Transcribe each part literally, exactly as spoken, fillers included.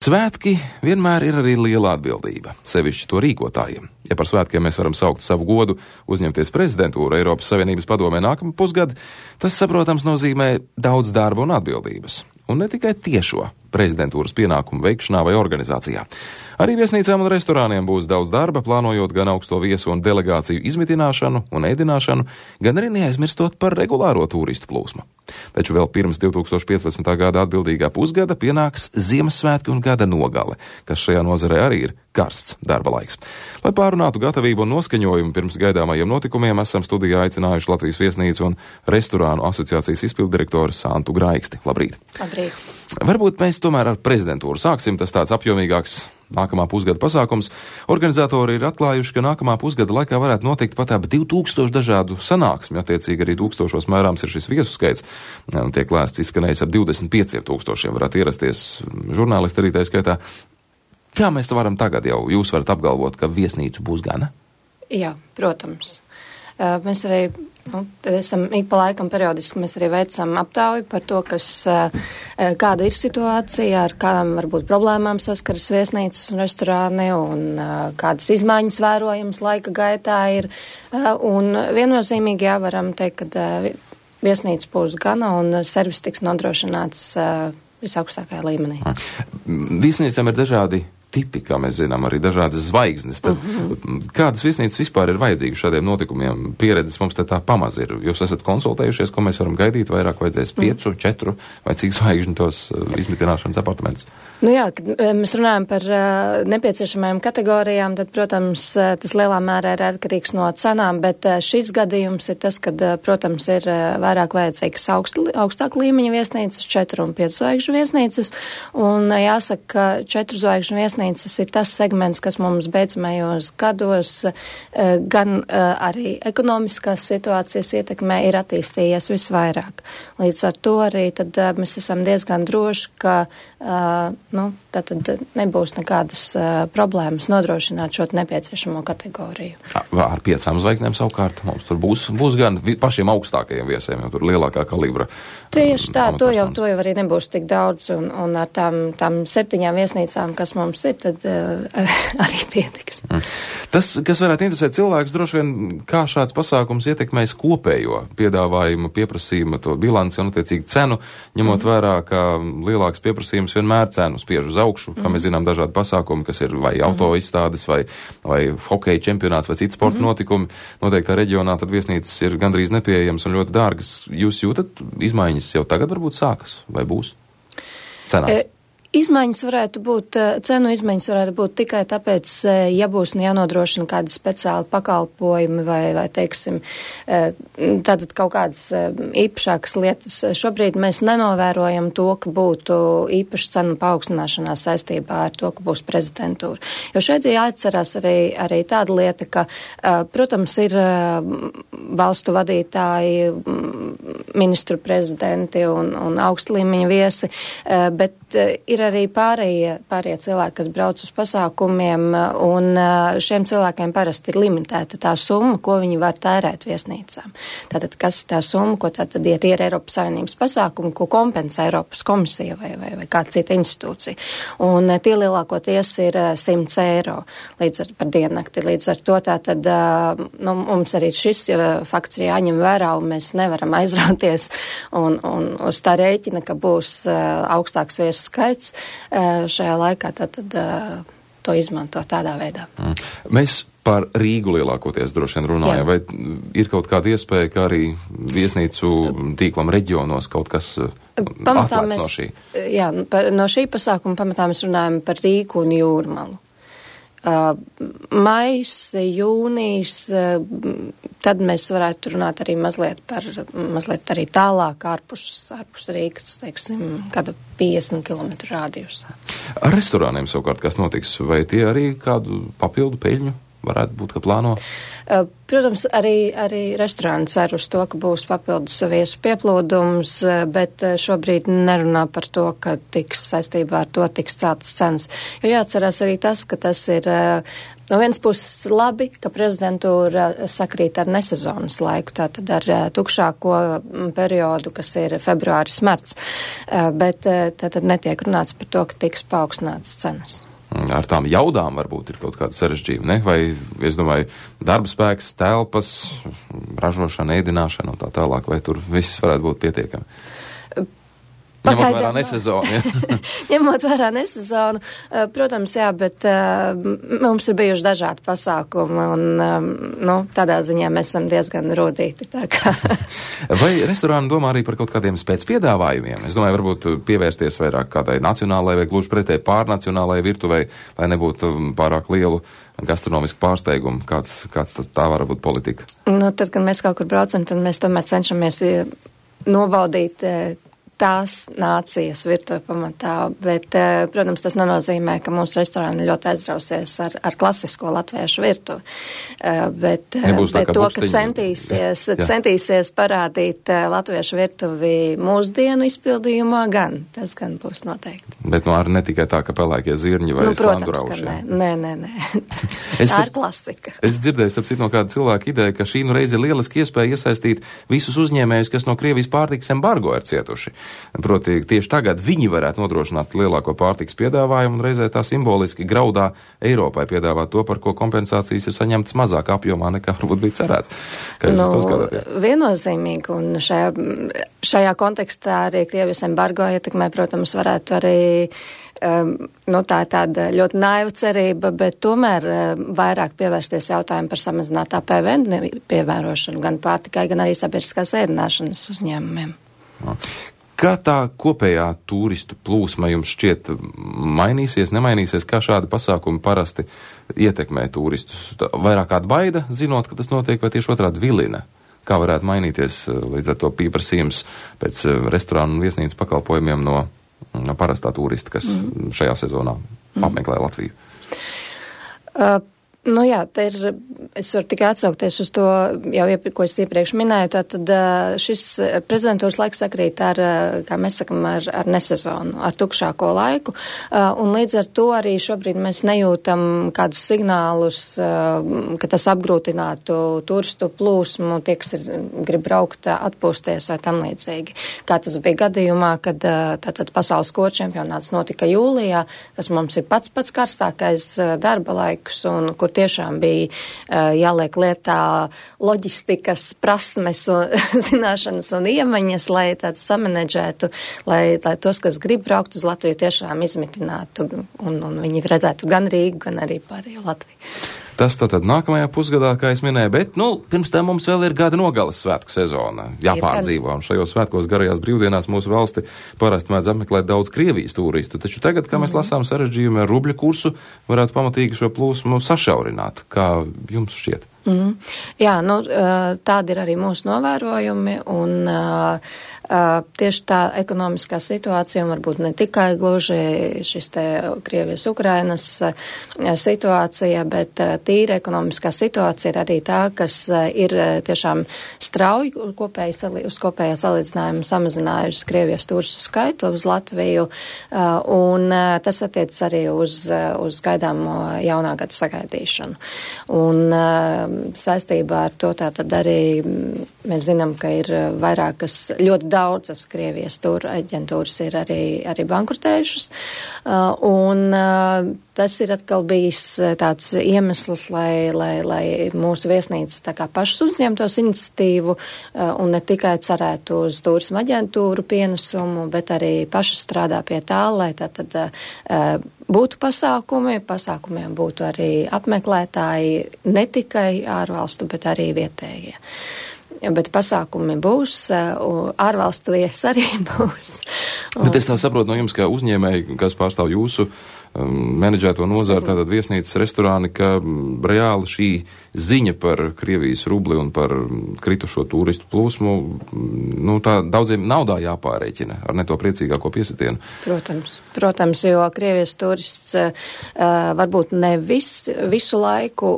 Svētki vienmēr ir arī liela atbildība, sevišķi to rīkotājiem. Ja par svētkiem mēs varam saukt savu godu uzņemties prezidentūru Eiropas Savienības padomē nākamā pusgada, tas, saprotams, nozīmē daudz darba un atbildības. Un ne tikai tiešo prezidentūras pienākumu veikšanā vai organizācijā. Arī viesnīcām un restorāniem būs daudz darba, plānojot gan augsto viesu un delegāciju izmitināšanu un ēdināšanu, gan arī neaizmirstot par regulāro turistu plūsmu. Taču vēl pirms divi tūkstoši piecpadsmitā gada atbildīgā pusgada pienāks Ziemassvētki un gada nogale, kas šajā nozarē arī ir karsts darba laiks. Lai pārunātu gatavību un noskaņojumu pirms gaidāmajiem notikumiem, esam studijā aicinājuši Latvijas viesnīcu un restorānu asociācijas izpilddirektoru Santu Graiksti. Labrīt! Labrīt! Varbūt mēs tomēr ar prezidentūru sāksim, tas tāds apjomīgāks nākamā pusgada pasākums. Organizatori ir atklājuši, ka nākamā pusgada laikā varētu notikt pat ap divi tūkstoši dažādu sanāksmi, attiecīgi arī tūkstošos mērāms ir šis viesu skaits. Tiek lēsts izskanējis ap divdesmit pieciem tūkstošiem, varētu ierasties žurnālisti arī tā skaitā. Kā mēs varam tagad jau, jūs varat apgalvot, ka viesnīcu būs gana? Jā, protams. Mēs arī nu, esam ik pa laikam periodiski, mēs arī veicam aptauju par to, kas, kāda ir situācija, ar kādām varbūt problēmām saskaras viesnīcas un restorāni un kādas izmaiņas vērojamas laika gaitā ir. Un viennozīmīgi jā, varam teikt, ka viesnīca būs gana un servis tiks nodrošināts visaugstākajā līmenī. Viesnīcām ir dažādi tipi, kā mēs zinām, arī dažādas zvaigznes. Tad, uh-huh. Kādas viesnīcas vispār ir vajadzīgas šādiem notikumiem? Pieredzes mums te tā pamaz ir. Jūs esat konsultējušies, ko mēs varam gaidīt, vairāk vajadzēs piecu, uh-huh. četru vai cik zvaigžņu tos izmitināšanas apartamentus? Nu jā, kad mēs runājam par uh, nepieciešamajām kategorijām, tad, protams, uh, tas lielā mērā ir atkarīgs no cenām, bet uh, šis gadījums ir tas, kad, uh, protams, ir uh, vairāk vajadzīgas augst, augstāk līmeņa viesnīcas, četru un piecu zvaigžņu viesnīcas, un uh, jāsaka, ka četru zvaigžņu viesnīcas ir tas segments, kas mums beidzamajos gados uh, gan uh, arī ekonomiskās situācijas ietekmē ir attīstījies visvairāk. Līdz ar to arī tad uh, mēs esam diezgan droši, ka uh, nu, tātad nebūs nekādas uh, problēmas nodrošināt šo nepieciešamo kategoriju. Ar piecām zvaigznēm savukārt mums tur būs, būs gan pašiem augstākajiem viesiem, jo tur lielākā kalibra. Tieši tā, to jau, to jau arī nebūs tik daudz, un, un ar tām, tām septiņām viesnīcām, kas mums ir, tad uh, arī pietiks. Mm. Tas, kas varētu interesēt cilvēkus, droši vien, kā šāds pasākums ietekmēs kopējo piedāvājumu, pieprasījumu, to bilanci un attiecīgi cenu, ņemot mm. vērā, ka lielāks pieprasījums vienmēr cenu spiež uz augšu, kā mēs zinām dažādi pasākumi, kas ir vai auto izstādes, vai, vai hokeja čempionāts, vai citi sporta mm-hmm. notikumi. Noteiktā reģionā tad viesnīcas ir gandrīz nepieejams un ļoti dārgas. Jūs jūtat izmaiņas jau tagad varbūt sākas, vai būs cenās? E Izmaiņas varētu būt, cenu izmaiņas varētu būt tikai tāpēc, ja būs jānodrošina kādi speciāli pakalpojumi vai, vai teiksim, tātad kaut kādas īpašākas lietas. Šobrīd mēs nenovērojam to, ka būtu īpaši cenu paaugstināšanās saistībā ar to, ka būs prezidentūra. Jo šeit jāatcerās arī, arī tāda lieta, ka, protams, ir valstu vadītāji, ministru prezidenti un, un augstlīmeņa viesi, bet ir arī pārējie, pārējie cilvēki, kas brauc uz pasākumiem, un šiem cilvēkiem parasti ir limitēta tā summa, ko viņi var tērēt viesnīcām. Tātad, kas ir tā summa, ko tātad, ja tie ir Eiropas Savienības pasākumi, ko kompensē Eiropas komisija vai, vai, vai kāda cita institūcija. Un tie lielākoties ir simts eiro līdz ar, par diennakti. Līdz ar to tātad, nu, mums arī šis fakts ir jāņem vērā, un mēs nevaram aizrauties un, un uz tā rēķina, ka būs augstāks viesu skaits šajā laikā, tad, tad to izmanto tādā veidā. Mm. Mēs par Rīgu lielākoties droši vien runājam, vai ir kaut kāda iespēja, ka arī viesnīcu tīklam reģionos kaut kas pamatā atklāts mēs, no šī? Jā, no šī pasākuma pamatā mēs runājam par Rīgu un Jūrmalu. Uh, mais, jūnijas, uh, tad mēs varētu runāt arī mazliet par, mazliet arī tālāk ārpus, ārpus Rīgas, teiksim, kāda piecdesmit kilometru rādījusā. Ar restorāniem savukārt kas notiks? Vai tie arī kādu papildu peļņu varētu būt, ka plāno? Protams, arī, arī restorāni cer uz to, ka būs papildus viesu pieplūdums, bet šobrīd nerunā par to, ka tiks saistībā ar to tiks celtas cenas. Jo jāatcerās arī tas, ka tas ir no vienas puses labi, ka prezidentūra sakrīt ar nesezonas laiku, tātad ar tukšāko periodu, kas ir februāris, marts, bet tātad netiek runāts par to, ka tiks paaugstinātas cenas. Ar tām jaudām varbūt ir kaut kāda sarežģījuma, ne? Vai, es domāju, darba spēks, telpas, ražošana, ēdināšana un tā tālāk, vai tur viss varētu būt pietiekami? Ņemot vērā nesezonu, ja? Ņemot vērā nesezonu, protams, jā, bet uh, mums ir bijuši dažādi pasākumi, un, um, nu, tādā ziņā mēs esam diezgan rūdīti, tā kā. Vai restorāni domā arī par kaut kādiem spēcpiedāvājumiem? Es domāju, varbūt pievērsties vairāk kādai nacionālajai vai gluži pretēji pārnacionālajai virtuvei, lai nebūtu pārāk lielu gastronomisku pārsteigumu. Kāds, kāds tas tā var būt politika? Nu, tad, kad mēs kaut kur braucam, tad mēs tomēr cenšamies nobaudīt tās nācijas virtuve pamatā, bet, protams, tas nenozīmē, ka mūsu restorāni ļoti aizrausies ar, ar klasisko latviešu virtuvi. Bet, Nebūs bet tā, to, bukstiņi. ka centīsies, jā, jā. centīsies parādīt latviešu virtuvi mūsdienu izpildījumā, gan, tas gan būs noteikti. Bet nu arī ne tikai tā, ka pelēkie zirņi vai nu, protams, slangurauši. ka nē, nē, nē, nē. Es, tā ir klasika. Es dzirdēju, starp citu, no kāda cilvēka ideja, ka šī nu reize ir lieliski iespēja iesaistīt visus uzņēmējus, kas no Krievijas pārtikas embargo ir cietuši. Proti, tieši tagad viņi varētu nodrošināt lielāko pārtikas piedāvājumu un reizē tā simboliski graudā Eiropai piedāvāt to, par ko kompensācijas ir saņemtas mazāk apjomā nekā varbūt bija cerēts. Kā jūs nu, to skatāties? Viennozīmīgi, un šajā, šajā kontekstā arī Krievijas embargo ietekmē, protams, varētu arī Um, nu, tā ir tāda ļoti naiva cerība, bet tomēr um, vairāk pievērsties jautājumu par samazinātā P V N pievērošanu gan pārtikai, gan arī sabiedriskās ēdināšanas uzņēmumiem. Kā tā kopējā turistu plūsma jums šķiet mainīsies, nemainīsies, kā šādi pasākumi parasti ietekmē turistus? Vairāk kāda baida, zinot, ka tas notiek, vai tieši otrādi vilina? Kā varētu mainīties līdz ar to pieprasījums pēc restorānu un viesnīcas pakalpojumiem no no parastā turista, kas mm. šajā sezonā mm. apmeklē Latviju? Uh, nu jā, te ir, es varu tikai atsaukties uz to, jau, ko es iepriekš minēju, tātad šis prezidentūras laiks sakrīt ar, kā mēs sakam, ar, ar nesezonu, ar tukšāko laiku, un līdz ar to arī šobrīd mēs nejūtam kādus signālus, ka tas apgrūtinātu turistu plūsmu, tie, kas ir, grib braukt, atpūsties vai tam līdzīgi. Kā tas bija gadījumā, kad tātad pasaules koču čempionāts notika jūlijā, kas mums ir pats pats karstākais darba laiks, un kur tiešām bija uh, jāliek lietā loģistikas prasmes un zināšanas un iemaņas, lai tādu samanedžētu, lai, lai tos, kas grib braukt uz Latviju, tiešām izmitinātu un, un viņi redzētu gan Rīgu, gan arī pārējo Latviju. Tas tātad nākamajā pusgadā, kā es minēju, bet, nu, pirms tam mums vēl ir gada nogalas svētku sezona jāpārdzīvo, un šajos svētkos garajās brīvdienās mūsu valsti parasti mēdz apmeklēt daudz Krievijas turistu, taču tagad, kā mēs lasām sarežģījumi ar rubļu kursu, varētu pamatīgi šo plūsmu sašaurināt. Kā jums šķiet? Mm. Jā, nu, tādi ir arī mūsu novērojumi, un uh, tieši tā ekonomiskā situācija, un varbūt ne tikai gluži šis te Krievijas-Ukrainas situācija, bet tīra ekonomiskā situācija ir arī tā, kas ir tiešām strauji kopēji, uz kopējā salīdzinājuma samazinājusi Krievijas turistu skaitu uz Latviju, un tas attiec arī uz, uz gaidāmo jaunā gada sagaidīšanu. Un saistībā ar to tātad arī mēs zinām, ka ir vairākas, ļoti daudzas Krievijas tūra aģentūras ir arī, arī bankrutējušas, un tas ir atkal bijis tāds iemesls, lai, lai, lai mūsu viesnīcas tā kā pašas uzņemtos iniciatīvu un ne tikai cerētu uz turisma aģentūru pienesumu, bet arī pašas strādā pie tā, lai tātad būtu pasākumi, pasākumiem būtu arī apmeklētāji, ne tikai ārvalstu, bet arī vietējie. Bet pasākumi būs, ārvalstu viesi arī būs. Bet es tā saprotu no jums, ka uzņēmēji, kas pārstāv jūsu menedžēto nozaru, tātad viesnīcas, restorāni, ka reāli šī ziņa par Krievijas rubli un par kritušo turistu plūsmu, nu, tā daudziem naudā jāpārēķina ar ne to priecīgāko piesitienu. Protams, protams, jo Krievijas turists uh, varbūt ne vis, visu laiku,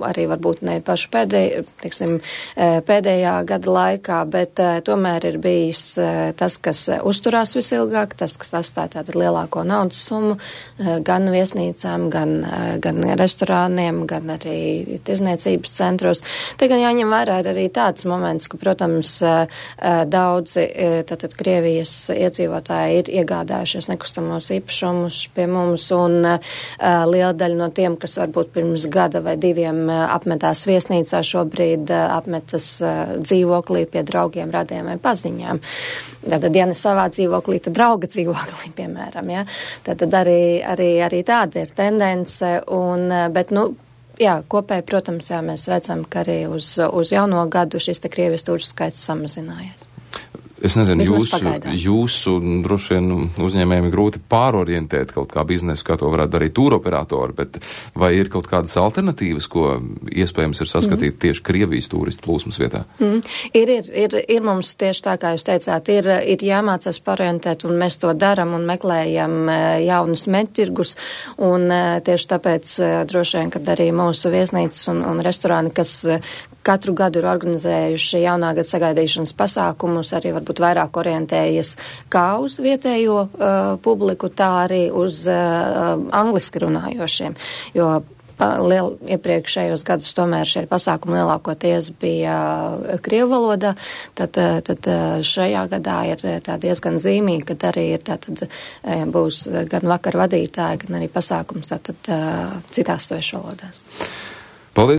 arī varbūt ne pašu pēdēj, teiksim, pēdējā gada laikā, bet uh, tomēr ir bijis uh, tas, kas uzturās visilgāk, tas, kas atstāja tātad lielāko naudas summu, uh, gan viesnīcām, gan, uh, gan restorāniem, gan arī tirzniecības centros. Te gan jāņem vērā ir arī tāds moments, ka, protams, uh, daudzi uh, tātad Krievijas iedzīvotāji ir iegādājušies nekustamos īpašumus pie mums, un uh, liela daļa no tiem, kas varbūt pirms gada vai diviem uh, apmetās viesnīcā, šobrīd uh, apmetas uh, dzīvoklī pie draugiem, radiem vai paziņām. Tātad, ja ne savā dzīvoklī, tad drauga dzīvoklī, piemēram, ja. Tātad arī, arī, arī tāda ir tendence, un, bet, nu, jā, kopēji, protams, jā, mēs redzam, ka arī uz, uz jauno gadu šis te Krievijas turistu skaits samazinājies. Es nezinu, Vismaz jūsu, pagaidām. jūsu droši vien uzņēmējiem grūti pārorientēt kaut kā biznesu, kā to varētu darīt tūroperatori, bet vai ir kaut kādas alternatīvas, ko iespējams ir saskatīt mm. tieši Krievijas turistu plūsmas vietā? Mm. Ir, ir, ir, ir mums tieši tā, kā jūs teicāt, ir, ir jāmācās pārorientēt, un mēs to daram un meklējam jaunus meķirgus, un tieši tāpēc droši vien, kad arī mūsu viesnīcas un, un restorāni, kas katru gadu ir organizējuši jaunā gada sagaidīšanas pasākumus, arī varbūt vairāk orientējies kā uz vietējo uh, publiku, tā arī uz uh, angliski runājošiem, jo liel, iepriekšējos gadus tomēr šie pasākumi lielākoties bija krievu valodā, tad, tad šajā gadā ir tā diezgan zīmīgi, kad arī ir tātad būs gan vakar vadītāji, gan arī pasākums tātad citās svešu valodās.